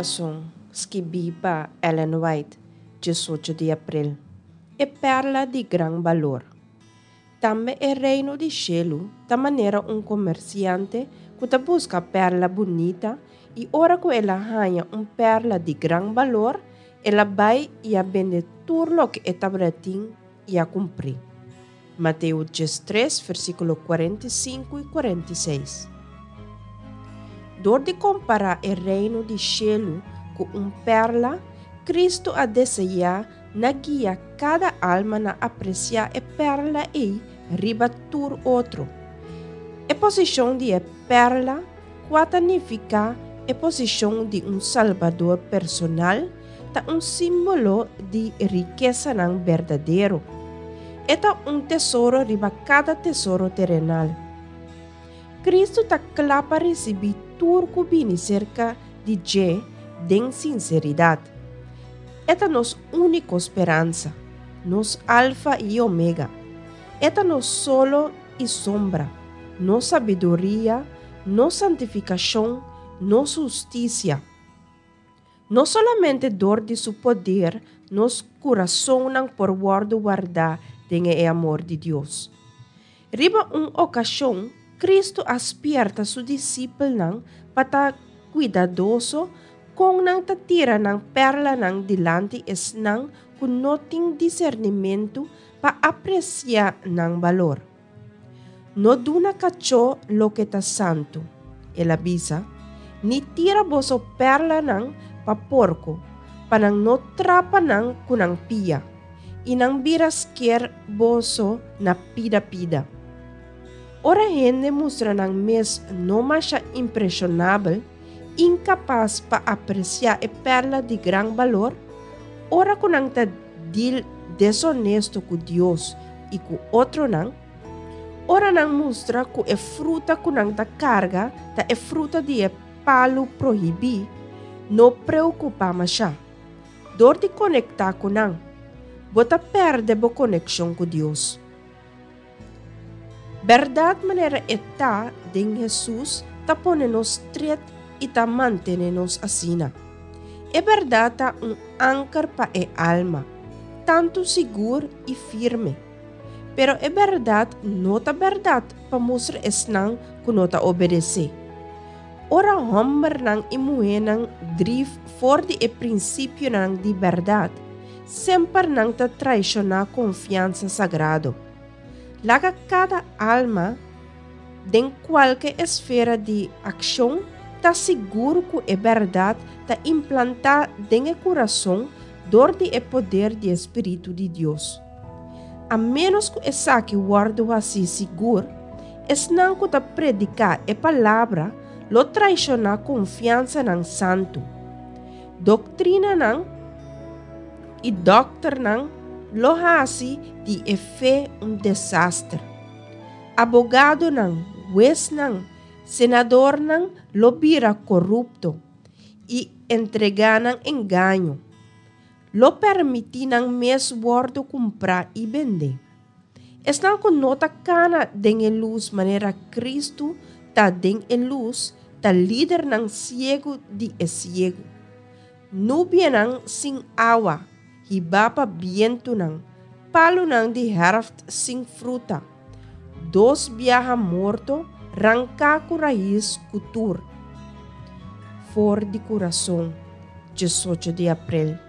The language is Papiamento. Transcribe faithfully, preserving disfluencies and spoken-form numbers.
Kurason, skibí pa Ellen White, diesocho di aprel. E perla di gran balor. Tambe e reino di shelu ta manera un komersiante ku ta buska perla bunita i ora ku el a haña un perla di gran balor, el a bai i a bende tur loke e tabatin i a kumpr'é. Mateo diestres, versíkulo kuarenta i sinku i kuarenta i seis. Dor di kompará e reino di shelu ku un perla, Kristu a deseá na guia kada alma na apresiá e perla ei riba tur otro. E posishon di e perla, kua ta nifiká e posishon di un Salbador personal, ta un símbolo di rikesanan berdadero. E ta un tesoro riba kada tesoro terenal. Kristu ta kla pa risibí tur ku bini serka di dje den sinseridat. E ta nos úniko speransa, nos Alfa i Omega. E ta nos solo i sombra, nos sabiduria, nos santifikashon, nos hustisia. No solamente dor di su poder nos kurasonnan por wòrdu wardá den e amor di Dios. Riba un okashon, Kristu a spièrta su disipelnan pa ta kuidadoso kon nan ta tira nan perlanan dilanti esnan ku no tin disernimentu pa apresiá nan balor. No duna kachó loke ta santu, el a bisa, ni tira boso perlanan pa porko, pa nan no trapa nan ku nan pia, i nan bira sker boso na pida pida. Ora hende mustra nan mes no masha impreshonabel, inkapas pa apresiá e perla di gran balor, ora ku nan ta dil deshonesto ku Dios i ku otronan, ora nan mustra ku e fruta ku nan ta karga ta e fruta di e palu prohibí, no preokupá mashá. Dor di konektá ku nan, bo ta pèrdè bo konekshon ku Dios. Bèrdat manera e ta den Hesus ta pone nos stret i ta mantené nos asina. E bèrdat ta un anker pa e alma, tantu sigur i firme. Pero e bèrdat no ta bèrdat pa mustra esnan ku no ta obedesé. Ora hòmbernan i muhénan drif for di e prinsipionan di bèrdat, semper nan ta traishoná konfiansa sagrado. Laga kada alma den kualke esfera di akshon ta sigur ku e bèrdat ta implantá den e kurason dor di e poder di e Spiritu di Dios. A ménos ku esaki wòrdu hasí sigur, esnan ku ta prediká e palabra lo traishoná konfiansanan santu. Doktrinanan i dòkternan lo hasi di e fe un desaster. Abogadonan, huesnan, senadornan lo bira korupto i entregá na engaño. Lo permití nan mes wòrdu kumprá i bendé. Esnan ku no ta kana den e lus manera Kristu ta den e lus, ta lidernan siegu di e siegu. Nubianan sin awa, hibá pa bientunan, palunan di hèrft sin fruta. Dos biaha morto, ranká ku rais ku tur. For di Kurason, diesocho di aprel.